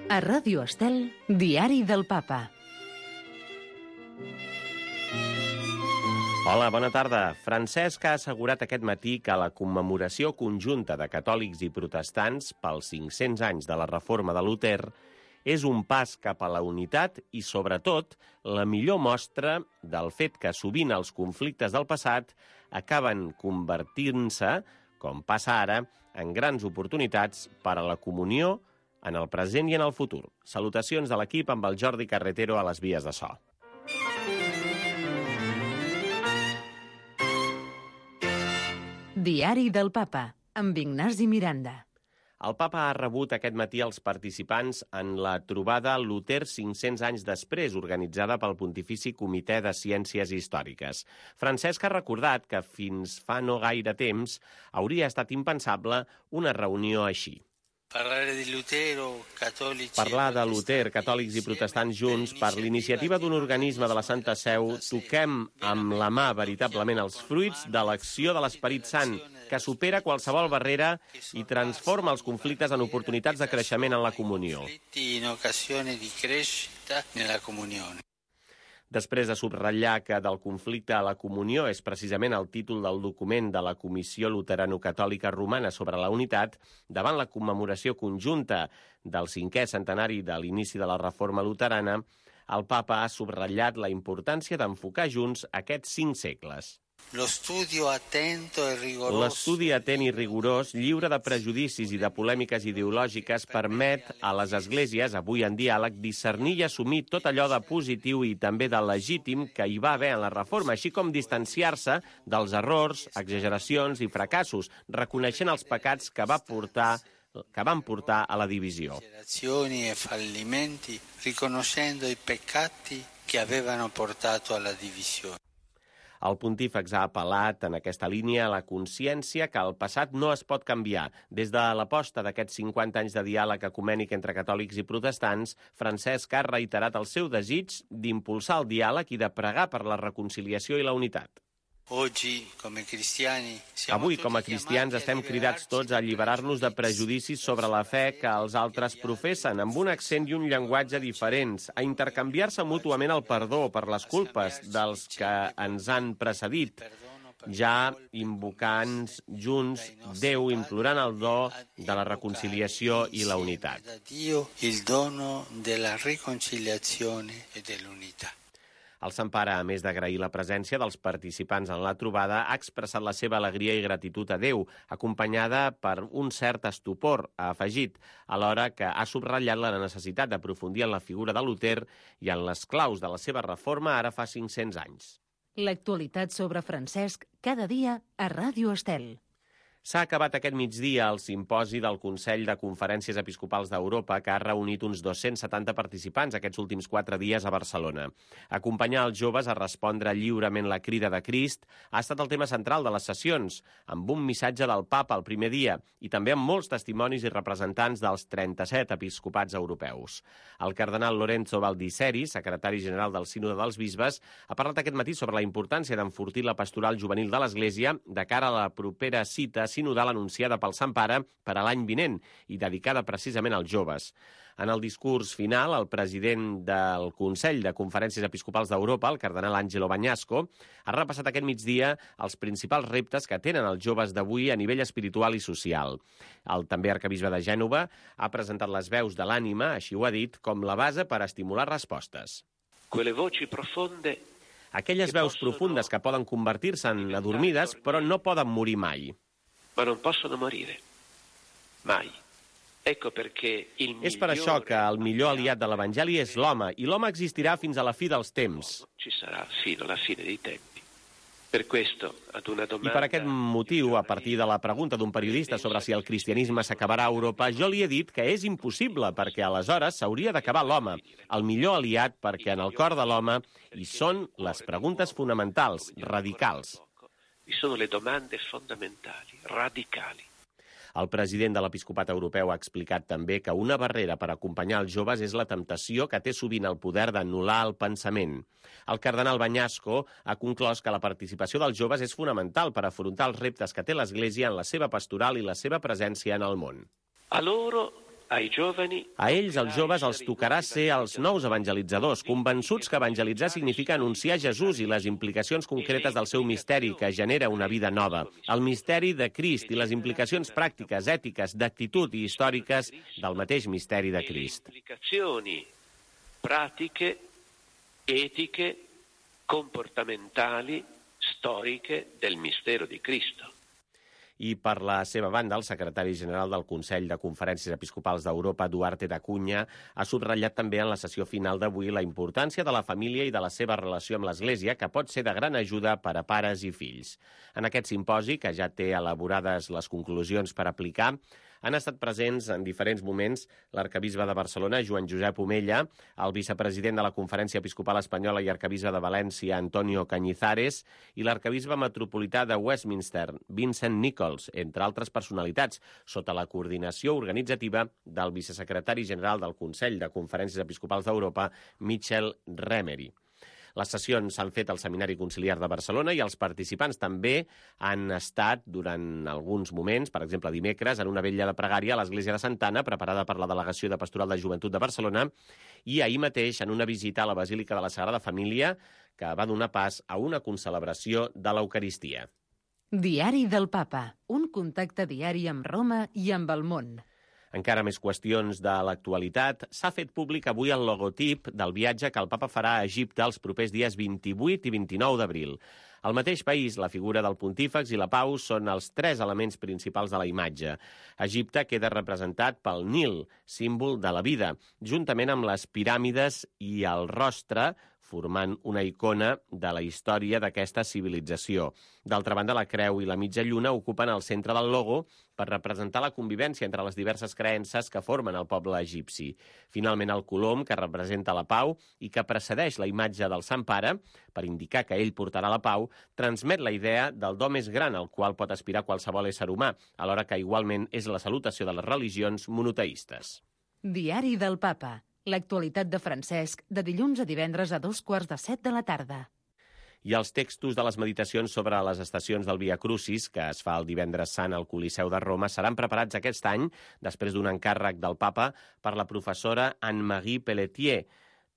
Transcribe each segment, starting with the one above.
A Ràdio Estel, Diari del Papa. Hola, bona tarda. Francesc ha assegurat aquest matí que la commemoració conjunta de catòlics i protestants pels 500 anys de la reforma de Luter és un pas cap a la unitat i, sobretot, la millor mostra del fet que sovint els conflictes del passat acaben convertint-se, com passa ara, en grans oportunitats per a la comunió en el present i en el futur. Salutacions de l'equip amb el Jordi Carretero a les vies de so. Diari del Papa, amb Ignasi Miranda. El papa ha rebut aquest matí els participants en la trobada Luter 500 anys després, organitzada pel Pontifici Comitè de Ciències Històriques. Francesc ha recordat que fins fa no gaire temps hauria estat impensable una reunió així. Parlar de Luter, catòlics i protestants junts, per l'iniciativa d'un organisme de la Santa Seu, toquem amb la mà veritablement els fruits de l'acció de l'Esperit Sant, que supera qualsevol barrera i transforma els conflictes en oportunitats de creixement en la comunió. Després de subratllar que del conflicte a la comunió és precisament el títol del document de la Comissió Luterano-Catòlica Romana sobre la unitat, davant la commemoració conjunta del 5è centenari de l'inici de la reforma luterana, el papa ha subratllat la importància d'enfocar junts aquests 5 segles. L'estudi atent i rigorós, lliure de prejudicis i de polèmiques ideològiques, permet a les esglésies, avui en diàleg, discernir i assumir tot allò de positiu i també de legítim que hi va haver en la reforma, així com distanciar-se dels errors, exageracions i fracassos, reconeixent els pecats que van portar a la divisió. Riconoscendo i peccati que avevano portato alla divisione. El pontífex ha apel·lat en aquesta línia a la consciència que el passat no es pot canviar. Des de l'aposta d'aquests 50 anys de diàleg ecumènic entre catòlics i protestants, Francesc ha reiterat el seu desig d'impulsar el diàleg i de pregar per la reconciliació i la unitat. Avui, com a cristians, estem cridats tots a alliberar-nos de prejudicis sobre la fe que els altres professen, amb un accent i un llenguatge diferents, a intercanviar-se mútuament el perdó per les culpes dels que ens han precedit, ja invocant junts Déu, implorant el do de la reconciliació i la unitat. Il dono della riconciliazione e dell'unità. El Sant Pare, a més d'agrair la presència dels participants en la trobada, ha expressat la seva alegria i gratitud a Déu, acompanyada per un cert estupor, ha afegit, alhora que ha subratllat la necessitat d'aprofundir en la figura de Luter i en les claus de la seva reforma ara fa 500 anys. L'actualitat sobre Francesc, cada dia a Ràdio Estel. S'ha acabat aquest migdia el simposi del Consell de Conferències Episcopals d'Europa, que ha reunit uns 270 participants aquests últims 4 dies a Barcelona. Acompanyar els joves a respondre lliurement la crida de Crist ha estat el tema central de les sessions, amb un missatge del papa el primer dia i també amb molts testimonis i representants dels 37 episcopats europeus. El cardenal Lorenzo Baldisseri, secretari general del Sínode dels Bisbes, ha parlat aquest matí sobre la importància d'enfortir la pastoral juvenil de l'Església de cara a la propera cita sinodal anunciada pel Sant Pare per a l'any vinent i dedicada precisament als joves. En el discurs final, el president del Consell de Conferències Episcopals d'Europa, el cardenal Angelo Bagnasco, ha repassat aquest migdia els principals reptes que tenen els joves d'avui a nivell espiritual i social. El també arquebisbe de Gènova ha presentat les veus de l'ànima, així ho ha dit, com la base per estimular respostes. Aquelles veus profundes que poden convertir-se en adormides, però no poden morir mai. Ma non possono morire. Mai. Ecco perché il És per això que el millor aliat de l'Evangeli és l'home, i l'home existirà fins a la fi dels temps. Ci sarà fino alla fine dei tempi. Per questo, ad una domanda... I per aquest motiu, a partir de la pregunta d'un periodista sobre si el cristianisme s'acabarà a Europa, jo li he dit que és impossible, perquè aleshores s'hauria d'acabar l'home, el millor aliat perquè en el cor de l'home hi són les preguntes fonamentals, radicals. Vi sono le domande fondamentali, radicali. El president de l'Episcopat Europeu ha explicat també que una barrera per acompanyar els joves és la temptació que té sovint el poder d'anul·lar el pensament. El cardenal Bagnasco ha conclòs que la participació dels joves és fonamental per afrontar els reptes que té l'Església en la seva pastoral i la seva presència en el món. A loro ai giovani... A ells, els joves, els tocarà ser els nous evangelitzadors, convençuts que evangelitzar significa anunciar Jesús i les implicacions concretes del seu misteri, que genera una vida nova. El misteri de Crist i les implicacions pràctiques, ètiques, d'actitud i històriques del mateix misteri de Crist. Implicazioni pratiche, etiche, comportamentali, storiche del mistero di Cristo. I per la seva banda, el secretari general del Consell de Conferències Episcopals d'Europa, Duarte da Cunha, ha subratllat també en la sessió final d'avui la importància de la família i de la seva relació amb l'Església, que pot ser de gran ajuda per a pares i fills. En aquest simposi, que ja té elaborades les conclusions per aplicar, han estat presents en diferents moments l'arcabisbe de Barcelona, Joan Josep Omella, el vicepresident de la Conferència Episcopal Espanyola i arcabisbe de València, Antonio Cañizares, i l'arcabisbe metropolità de Westminster, Vincent Nichols, entre altres personalitats, sota la coordinació organitzativa del vicesecretari general del Consell de Conferències Episcopals d'Europa, Michel Remery. Les sessions s'han fet al Seminari Conciliar de Barcelona i els participants també han estat durant alguns moments, per exemple dimecres, en una vetlla de pregària a l'Església de Santa Anna, preparada per la Delegació de Pastoral de Joventut de Barcelona, i ahir mateix en una visita a la Basílica de la Sagrada Família, que va donar pas a una concelebració de l'Eucaristia. Diari del Papa, un contacte diari amb Roma i amb el món. Encara més qüestions de l'actualitat. S'ha fet públic avui el logotip del viatge que el papa farà a Egipte els propers dies 28 i 29 d'abril. Al mateix país, la figura del pontífex i la pau són els tres elements principals de la imatge. Egipte queda representat pel Nil, símbol de la vida, juntament amb les piràmides i el rostre, formant una icona de la història d'aquesta civilització. D'altra banda, la creu i la mitja lluna ocupen el centre del logo per representar la convivència entre les diverses creences que formen el poble egipci. Finalment, el colom, que representa la pau i que precedeix la imatge del Sant Pare, per indicar que ell portarà la pau, transmet la idea del do més gran al qual pot aspirar qualsevol ésser humà, alhora que igualment és la salutació de les religions monoteistes. Diari del Papa. L'actualitat de Francesc, de dilluns a divendres a 2:15 de la tarda. I els textos de les meditacions sobre les estacions del Via Crucis, que es fa el divendres sant al Coliseu de Roma, seran preparats aquest any, després d'un encàrrec del papa, per la professora Anne-Marie Pelletier,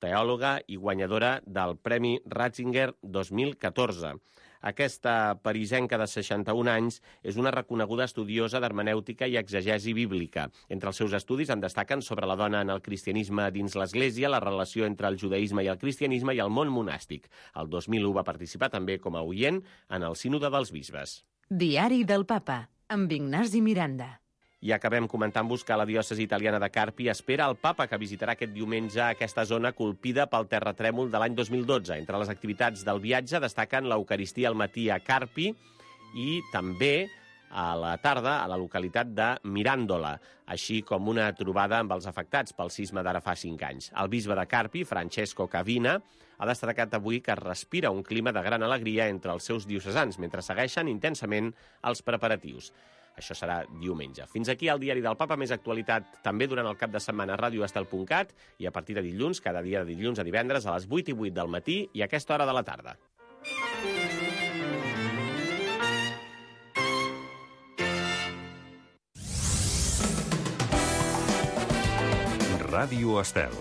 teòloga i guanyadora del Premi Ratzinger 2014. Aquesta parisenca de 61 anys és una reconeguda estudiosa d'hermenèutica i exegesi bíblica. Entre els seus estudis en destaquen sobre la dona en el cristianisme dins l'Església, la relació entre el judaïsme i el cristianisme i el món monàstic. El 2001 va participar també com a oient en el Sínode dels Bisbes. Diari del Papa, amb Ignasi Miranda. I acabem comentant-vos que la diòcesi italiana de Carpi espera el papa que visitarà aquest diumenge aquesta zona colpida pel terratrèmol de l'any 2012. Entre les activitats del viatge destaquen l'Eucaristia al matí a Carpi i també a la tarda a la localitat de Mirandola, així com una trobada amb els afectats pel sisme d'ara fa 5 anys. El bisbe de Carpi, Francesco Cavina, ha destacat avui que es respira un clima de gran alegria entre els seus diocesans, mentre segueixen intensament els preparatius. Això serà diumenge. Fins aquí el Diari del Papa, més actualitat també durant el cap de setmana a radioestel.cat i a partir de dilluns, cada dia de dilluns a divendres a les 8:08 del matí i a aquesta hora de la tarda. Ràdio Estel.